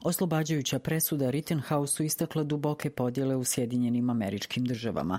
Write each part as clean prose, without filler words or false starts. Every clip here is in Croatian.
Oslobađajuća presuda Rittenhouseu istakla duboke podjele u Sjedinjenim Američkim Državama.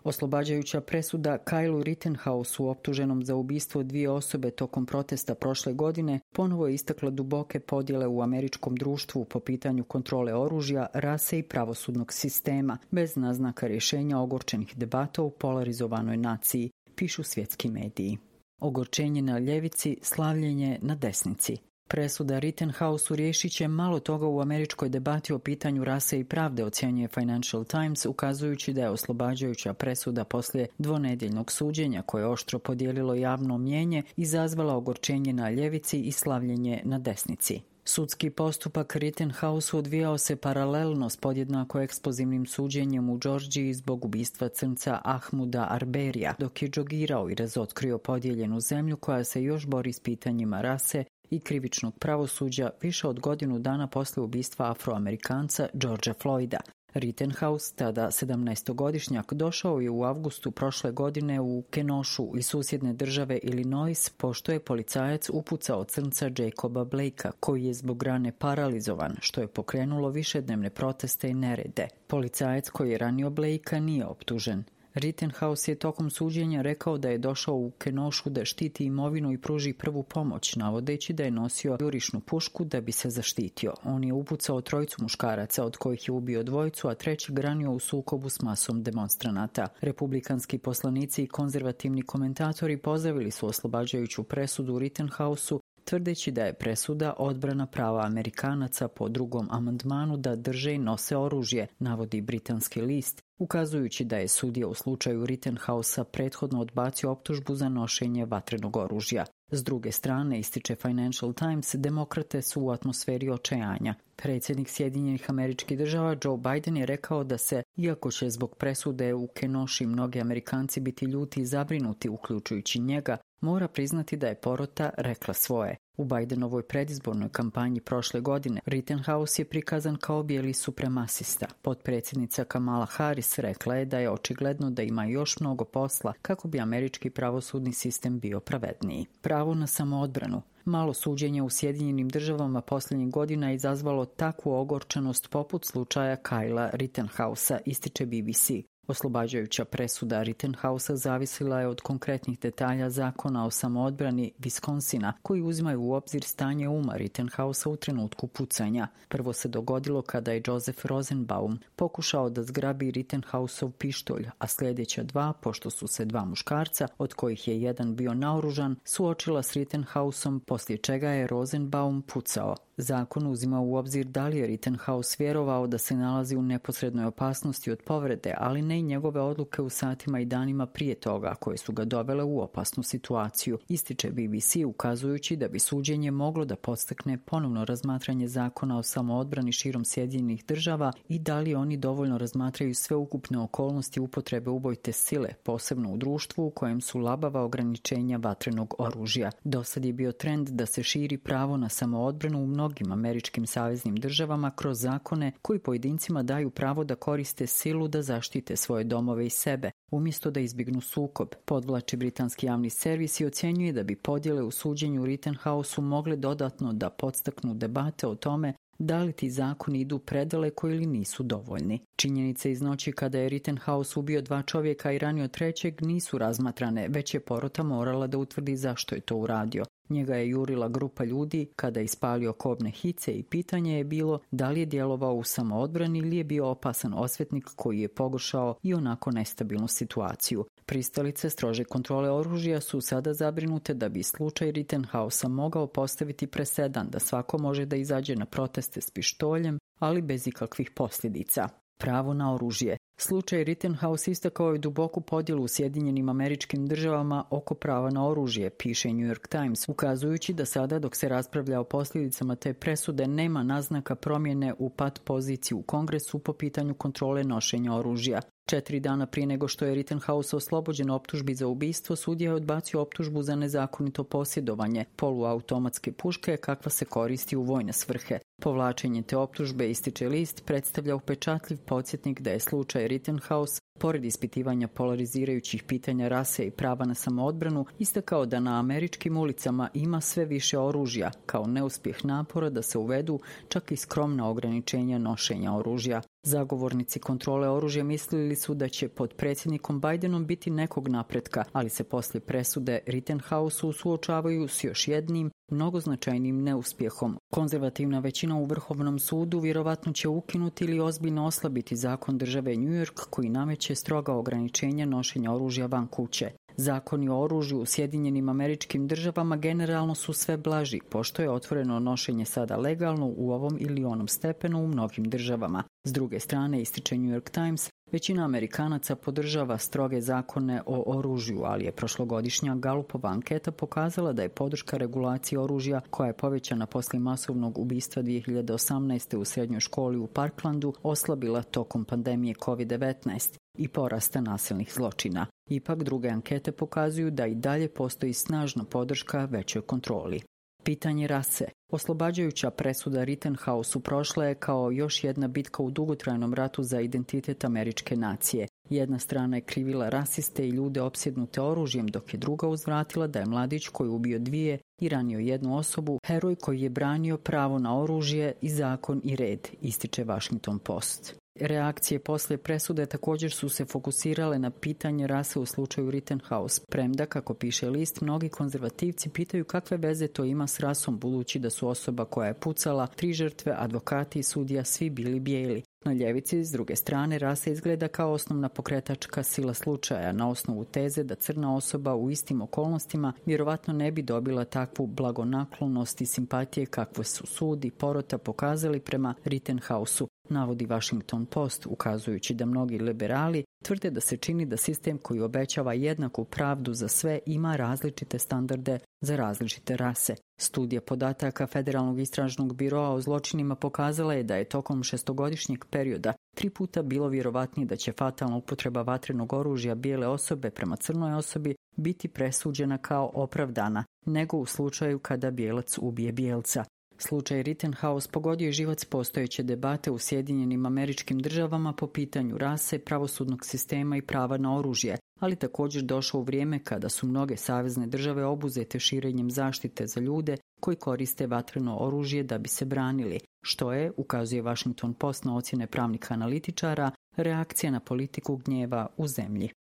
Oslobađajuća presuda Kylu Rittenhouseu, optuženom za ubistvo 2 osobe tokom protesta prošle godine, ponovo je istakla duboke podjele u američkom društvu po pitanju kontrole oružja, rase i pravosudnog sistema, bez naznaka rješenja ogorčenih debata u polarizovanoj naciji, pišu svjetski mediji. Ogorčenje na ljevici, slavljenje na desnici. Presuda Rittenhouseu riješit će malo toga u američkoj debati o pitanju rase i pravde, ocjenjuje Financial Times, ukazujući da je oslobađajuća presuda poslije dvonedjeljnog suđenja koje je oštro podijelilo javno mnijenje izazvala ogorčenje na ljevici i slavljenje na desnici. Sudski postupak Rittenhouseu odvijao se paralelno s podjednako eksplozivnim suđenjem u Džordžiji zbog ubistva crnca Ahmuda Arberyja, dok je džogirao i razotkrio podijeljenu zemlju koja se još bori s pitanjima rase i krivičnog pravosuđa više od godinu dana poslije ubistva Afroamerikanca Georgea Floyda. Rittenhouse, tada 17-godišnjak, došao je u avgustu prošle godine u Kenoshu iz susjedne države Illinois, pošto je policajac upucao crnca Jacoba Blakea, koji je zbog rane paralizovan, što je pokrenulo višednevne proteste i nerede. Policajac koji je ranio Blakea nije optužen. Rittenhouse je tokom suđenja rekao da je došao u Kenoshu da štiti imovinu i pruži prvu pomoć, navodeći da je nosio jurišnu pušku da bi se zaštitio. On je upucao 3 muškaraca, od kojih je ubio 2, a 3 ranio u sukobu s masom demonstranata. Republikanski poslanici i konzervativni komentatori pozdravili su oslobađajuću presudu Rittenhouseu, tvrdeći da je presuda odbrana prava Amerikanaca po 2. amandmanu da drže i nose oružje, navodi britanski list, ukazujući da je sudija u slučaju Rittenhousea prethodno odbacio optužbu za nošenje vatrenog oružja. S druge strane, ističe Financial Times, demokrate su u atmosferi očajanja. Predsjednik Sjedinjenih Američkih Država Joe Biden je rekao da se, iako će zbog presude u Kenoshu mnogi Amerikanci biti ljuti i zabrinuti, uključujući njega, mora priznati da je porota rekla svoje. U Bidenovoj predizbornoj kampanji prošle godine Rittenhouse je prikazan kao bijeli supremasista. Potpredsjednica Kamala Harris rekla je da je očigledno da ima još mnogo posla kako bi američki pravosudni sistem bio pravedniji. Pravo na samoodbranu. Malo suđenje u Sjedinjenim Državama posljednjih godina je izazvalo takvu ogorčenost poput slučaja Kyla Rittenhousea, ističe BBC. Oslobađajuća presuda Rittenhousea zavisila je od konkretnih detalja zakona o samoodbrani Wisconsina, koji uzimaju u obzir stanje uma Rittenhousea u trenutku pucanja. Prvo se dogodilo kada je Joseph Rosenbaum pokušao da zgrabi Rittenhouseov pištolj, a sljedeća 2, pošto su se 2 muškarca, od kojih je jedan bio naoružan, suočila s Rittenhouseom, poslije čega je Rosenbaum pucao. Zakon uzima u obzir da li je Rittenhouse vjerovao da se nalazi u neposrednoj opasnosti od povrede, ali ne i njegove odluke u satima i danima prije toga koje su ga dovele u opasnu situaciju, ističe BBC, ukazujući da bi suđenje moglo da podstakne ponovno razmatranje zakona o samoodbrani širom Sjedinjenih Država i da li oni dovoljno razmatraju sveukupne okolnosti upotrebe ubojite sile, posebno u društvu u kojem su labava ograničenja vatrenog oružja. Dosad je bio trend da se širi pravo na samoodbranu u mnogim američkim saveznim državama kroz zakone koji pojedincima daju pravo da koriste silu da zaštite svoje domove i sebe, umjesto da izbjegnu sukob. Podvlači britanski javni servis i ocjenjuje da bi podjele u suđenju Rittenhouseu mogle dodatno da podstaknu debate o tome da li ti zakoni idu predaleko ili nisu dovoljni. Činjenice iz noći kada je Rittenhouse ubio 2 čovjeka i ranio 3. nisu razmatrane, već je porota morala da utvrdi zašto je to uradio. Njega je jurila grupa ljudi kada je ispalio kobne hice i pitanje je bilo da li je djelovao u samoodbrani ili je bio opasan osvetnik koji je pogoršao i onako nestabilnu situaciju. Pristalice strože kontrole oružja su sada zabrinute da bi slučaj Rittenhousea mogao postaviti presedan da svako može da izađe na proteste s pištoljem, ali bez ikakvih posljedica. Pravo na oružje. Slučaj Rittenhouse istakao je duboku podjelu u Sjedinjenim Američkim Državama oko prava na oružje, piše New York Times, ukazujući da sada dok se raspravlja o posljedicama te presude nema naznaka promjene u pat poziciji u Kongresu po pitanju kontrole nošenja oružja. 4 dana prije nego što je Rittenhouse oslobođen optužbi za ubistvo, sudija je odbacio optužbu za nezakonito posjedovanje poluautomatske puške kakva se koristi u vojne svrhe. Povlačenje te optužbe, ističe list, predstavlja upečatljiv podsjetnik da je slučaj Rittenhouse, pored ispitivanja polarizirajućih pitanja rase i prava na samoodbranu, istakao da na američkim ulicama ima sve više oružja, kao neuspjeh napora da se uvedu čak i skromna ograničenja nošenja oružja. Zagovornici kontrole oružja mislili su da će pod predsjednikom Bidenom biti nekog napretka, ali se poslije presude Rittenhouseu suočavaju s još jednim, mnogo značajnim neuspjehom. Konzervativna većina u Vrhovnom sudu vjerovatno će ukinuti ili ozbiljno oslabiti zakon države New York koji nameće stroga ograničenja nošenja oružja van kuće. Zakoni o oružju u Sjedinjenim Američkim Državama generalno su sve blaži, pošto je otvoreno nošenje sada legalno u ovom ili onom stepenu u mnogim državama. S druge strane, ističe New York Times, većina Amerikanaca podržava stroge zakone o oružju, ali je prošlogodišnja Galupova anketa pokazala da je podrška regulaciji oružja, koja je povećana poslije masovnog ubistva 2018. u srednjoj školi u Parklandu, oslabila tokom pandemije COVID-19 i porasta nasilnih zločina. Ipak druge ankete pokazuju da i dalje postoji snažna podrška većoj kontroli. Pitanje rase. Oslobađajuća presuda Rittenhouseu prošla je kao još jedna bitka u dugotrajnom ratu za identitet američke nacije. Jedna strana je krivila rasiste i ljude opsjednute oružjem, dok je druga uzvratila da je mladić koji ubio 2 i ranio 1 osobu, heroj koji je branio pravo na oružje i zakon i red, ističe Washington Post. Reakcije poslije presude također su se fokusirale na pitanje rase u slučaju Rittenhouse, premda, kako piše list, mnogi konzervativci pitaju kakve veze to ima s rasom, budući da su osoba koja je pucala, 3 žrtve, advokati i sudija svi bili bijeli. Na ljevici, s druge strane, rasa izgleda kao osnovna pokretačka sila slučaja, na osnovu teze da crna osoba u istim okolnostima vjerovatno ne bi dobila takvu blagonaklonost i simpatije kakve su sud i porota pokazali prema Rittenhouseu, navodi Washington Post, ukazujući da mnogi liberali tvrde da se čini da sistem koji obećava jednaku pravdu za sve ima različite standarde za različite rase. Studija podataka Federalnog istražnog biroa o zločinima pokazala je da je tokom 6-godišnjeg perioda 3 puta bilo vjerovatnije da će fatalna upotreba vatrenog oružja bijele osobe prema crnoj osobi biti presuđena kao opravdana, nego u slučaju kada bijelac ubije bijelca. Slučaj Rittenhouse pogodio je živac postojeće debate u Sjedinjenim Američkim Državama po pitanju rase, pravosudnog sistema i prava na oružje, ali također došao u vrijeme kada su mnoge savezne države obuzete širenjem zaštite za ljude koji koriste vatreno oružje da bi se branili, što je, ukazuje Washington Post na ocjene pravnih analitičara, reakcija na politiku gnjeva u zemlji.